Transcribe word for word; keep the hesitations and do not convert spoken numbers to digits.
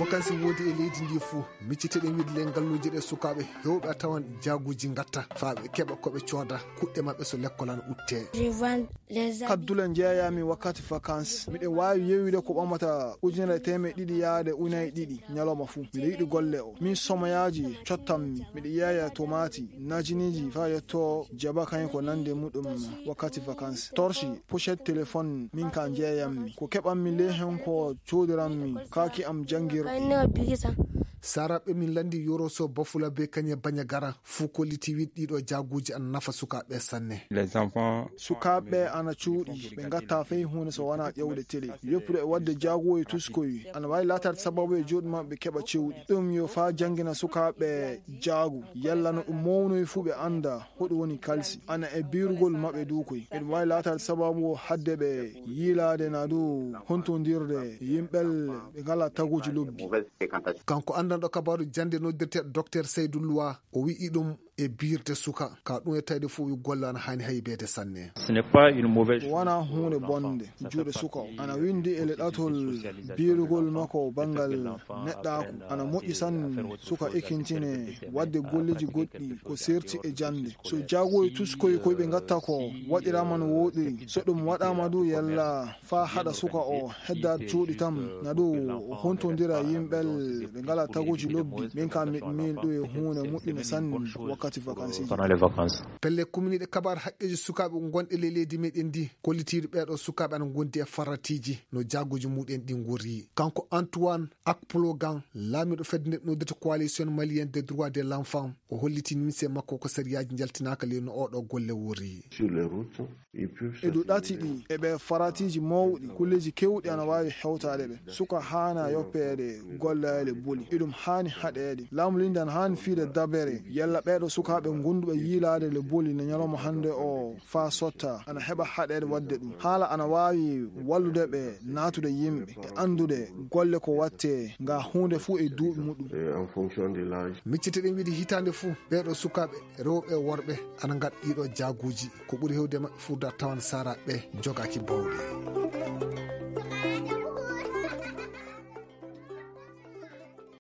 Vacances woodi e leydi ndi fuu. Micciteɗen wiide le ngalluuje ɗe sukaaɓe heewɓe a tawan jaaguuji ngatta faa ɓe keɓa ko ɓe cooda kuɗɗe maɓɓe so lekkol ana uttee. Kaddule njeeyaami wakkati vacances. Miɗo waawi yeeyude ko ɓamata ujunere e teemeɗɗe ɗiɗi yaade ujunere e ɗiɗi ñalawma fuu. Miɗo yiɗi golle o. Min somoyaaji cottammi. Miɗo yeeya tomaati, najiniiji faa yetto jaba kañum ko nandi e muɗum wakkati vacances. Torche, pochette téléphone, min ka njeeyammi. Ko keɓammi ley hen ko coodiranmi kaaki am janngirɗi. Saaraaɓe min lanndi Yoro Sow, Bafula be kañe Bañagara fuu kollitii wiide ɗiiɗo jaaguuji ana nafa sukaaɓe sanne. Sukaaɓe ana cuuɗi, ɓe ngattaa fay huunde so wanaa ƴeewde tele. Yoppude e waɗde jaagu e tuskoy ana waawi laataade sababu e juuɗe maɓɓe keɓa cewɗi. Ɗum yo faa janngina sukaaɓe jaagu, yalla no ɗum mawnoyi fuu ɓe annda hoɗum woni kalsi. Ana e biirugol maɓɓe du koy. Eɗum waawi laataade sababu o haɗde ɓe yiilaade naa du hontondirde yimɓel ɓe ngalaa taguuji lobbi. Kanko anndanɗo kabaaru jannde noddirteeɗo Docteur Seydou Loua, o wi'i ɗum e biirde suka, ka ɗum e tawde fof wi golle ana haani haybeede sanne. Wanaa huunde bonde, juuɗe suka o. Ana winndi e le ɗatol biirugol makko banngal neɗɗaaku. Ana moƴƴi sanne suka ekintine waɗde golleeji goɗɗi ko serti e jannde. So jaagu e tuskoy koy ɓe ngatta ko waɗiraama no wooɗiri. So ɗum waɗaama du yalla faa haɗa suka o heddaade cuuɗi tan, na du hontondira yimɓel ɓe ngalaa taguuji lobbi. Min kam miɗo miin ɗum e huunde moƴƴunde sanne wakkati vacances. Pelle kuminiiɗe kabaar haqqeeji sukaaɓe gonɗe ley leydi meɗen ndi, kollitiiɗo ɓeeɗo sukaaɓe ana ngondi e faratiiji no jaaguuji muɗen ɗi ngorri. Kanko Antoine Akplogan, laamiiɗo fedde nde noddirta Coalition Malienne des Droits de l'Enfant, o holliti nimse makko ko sariyaaji njaltinaaka ley no oɗo golle worri. E dow ɗati ɗi, e ɓe faratiiji mawɗi, kulleeji keewɗi ana waawi hewtaade ɓe. Suka haana yoppeede gollaali le boli. Eɗum haani haɗeede. Laamu leydi ana haani fiyde dabere. Yalla ɓeeɗo sukaaɓe gonduɓe yiilaade le boli no ñalawma hannde o faa sotta, ana heɓa haɗeede waɗde ɗum. Haala ana waawi wallude ɓe naatude yimɓe e anndude golle ko waɗtee, nga huunde fuu e duuɓi muɗum. Micciteɗen wiide hitaande fuu, ɓeeɗo sukaaɓe rewɓe e worɓe ana ngaɗa ɗiiɗo jaaguuji. Ko ɓuri heewde maɓɓe fuu da tawan saaraaɓe jogaaki bawɗe.